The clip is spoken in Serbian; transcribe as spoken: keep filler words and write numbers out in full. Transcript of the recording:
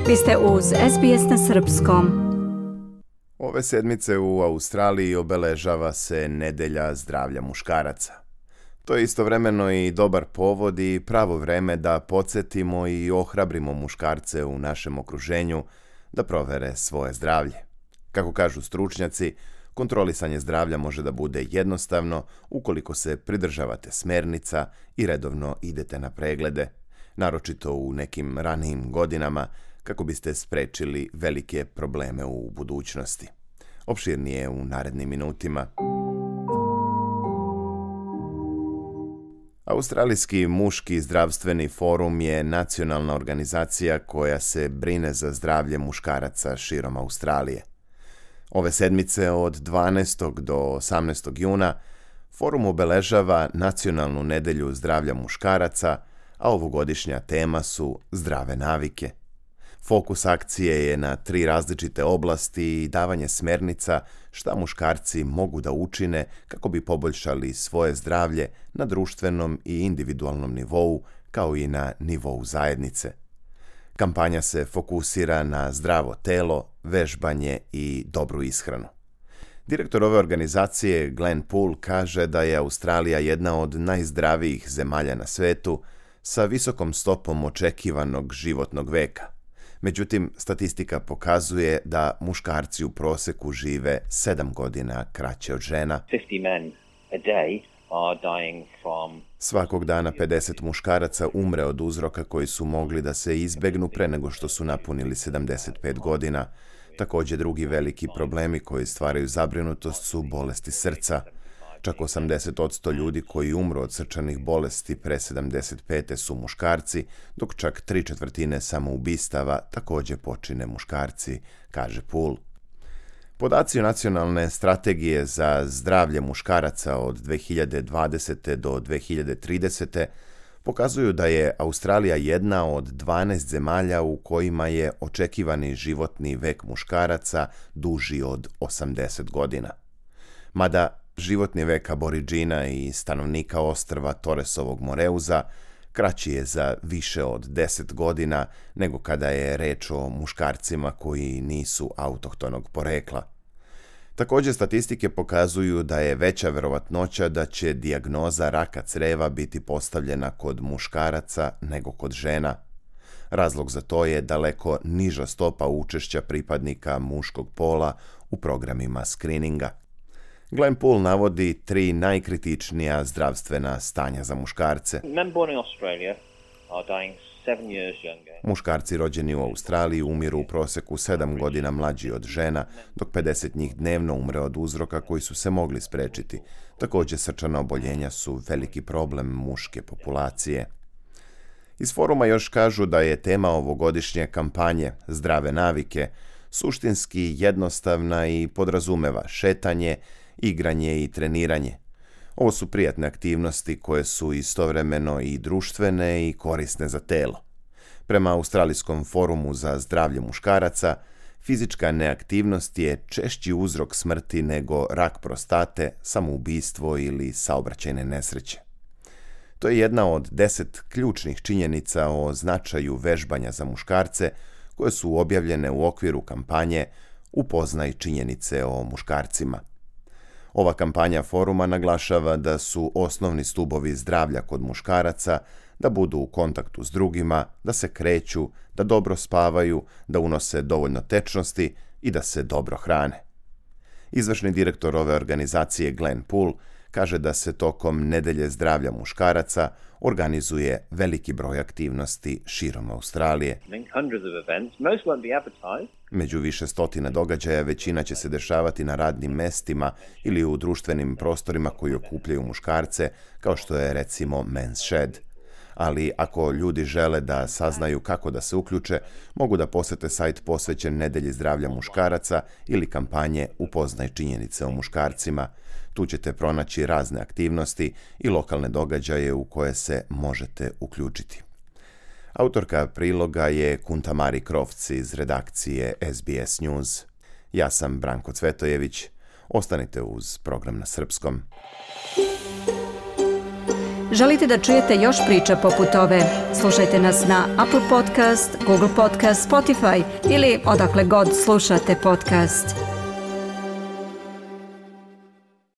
Vi ste uz S B S na srpskom. Ove sedmice u Australiji obeležava se Nedelja zdravlja muškaraca. To je istovremeno i dobar povod i pravo vreme da podsjetimo i ohrabrimo muškarce u našem okruženju da provere svoje zdravlje. Kako kažu stručnjaci, kontrolisanje zdravlja može da bude jednostavno ukoliko se pridržavate smernica i redovno idete na preglede, naročito u nekim ranijim godinama, kako biste sprečili velike probleme u budućnosti. Opširnije u narednim minutima. Australijski muški zdravstveni forum je nacionalna organizacija koja se brine za zdravlje muškaraca širom Australije. Ove sedmice od dvanaestog do osamnaestog juna forum obeležava Nacionalnu nedelju zdravlja muškaraca, a ovogodišnja tema su zdrave navike. Fokus akcije je na tri različite oblasti i davanje smernica šta muškarci mogu da učine kako bi poboljšali svoje zdravlje na društvenom i individualnom nivou, kao i na nivou zajednice. Kampanja se fokusira na zdravo telo, vežbanje i dobru ishranu. Direktor ove organizacije, Glenn Poole, kaže da je Australija jedna od najzdravijih zemalja na svetu sa visokom stopom očekivanog životnog veka. Međutim, statistika pokazuje da muškarci u proseku žive sedam godina kraće od žena. Svakog dana pedeset muškaraca umre od uzroka koji su mogli da se izbegnu pre nego što su napunili sedamdeset pet godina. Također drugi veliki problemi koji stvaraju zabrinutost su bolesti srca. Čak osamdeset posto ljudi koji umru od srčanih bolesti pre sedamdeset pete su muškarci, dok čak tri četvrtine samoubistava također počine muškarci, kaže Poole. Podaci Nacionalne strategije za zdravlje muškaraca od dve hiljade dvadesete do dve hiljade tridesete pokazuju da je Australija jedna od dvanaest zemalja u kojima je očekivani životni vek muškaraca duži od osamdeset godina. Mada životni vek Aboriđina i stanovnika ostrva Torresovog Moreuza kraći je za više od deset godina nego kada je reč o muškarcima koji nisu autohtonog porekla. Također statistike pokazuju da je veća verovatnoća da će dijagnoza raka creva biti postavljena kod muškaraca nego kod žena. Razlog za to je daleko niža stopa učešća pripadnika muškog pola u programima skrininga. Glenn Poole navodi tri najkritičnija zdravstvena stanja za muškarce. Muškarci rođeni u Australiji umiru u proseku sedam godina mlađi od žena, dok pedeset njih dnevno umre od uzroka koji su se mogli sprečiti. Također srčana oboljenja su veliki problem muške populacije. Iz foruma još kažu da je tema ovogodišnje kampanje Zdrave navike suštinski jednostavna i podrazumeva šetanje, igranje i treniranje. Ovo su prijatne aktivnosti koje su istovremeno i društvene i korisne za telo. Prema Australijskom forumu za zdravlje muškaraca, fizička neaktivnost je češći uzrok smrti nego rak prostate, samoubistvo ili saobraćajne nesreće. To je jedna od deset ključnih činjenica o značaju vežbanja za muškarce koje su objavljene u okviru kampanje Upoznaj činjenice o muškarcima. Ova kampanja foruma naglašava da su osnovni stubovi zdravlja kod muškaraca da budu u kontaktu s drugima, da se kreću, da dobro spavaju, da unose dovoljno tečnosti i da se dobro hrane. Izvršni direktor ove organizacije Glenn Poole kaže da se tokom Nedelje zdravlja muškaraca organizuje veliki broj aktivnosti širom Australije. Među više stotina događaja većina će se dešavati na radnim mestima ili u društvenim prostorima koji okupljaju muškarce, kao što je recimo Men's Shed. Ali ako ljudi žele da saznaju kako da se uključe, mogu da posete sajt posvećen Nedelji zdravlja muškaraca ili kampanje Upoznaj činjenice o muškarcima. Tu ćete pronaći razne aktivnosti i lokalne događaje u koje se možete uključiti. Autorka priloga je Kuntamari Krofc iz redakcije S B S News. Ja sam Branko Cvetojević. Ostanite uz program na srpskom. Želite da čujete još priča poput ove? Slušajte nas na Apple Podcast, Google Podcast, Spotify ili odakle god slušate podcast.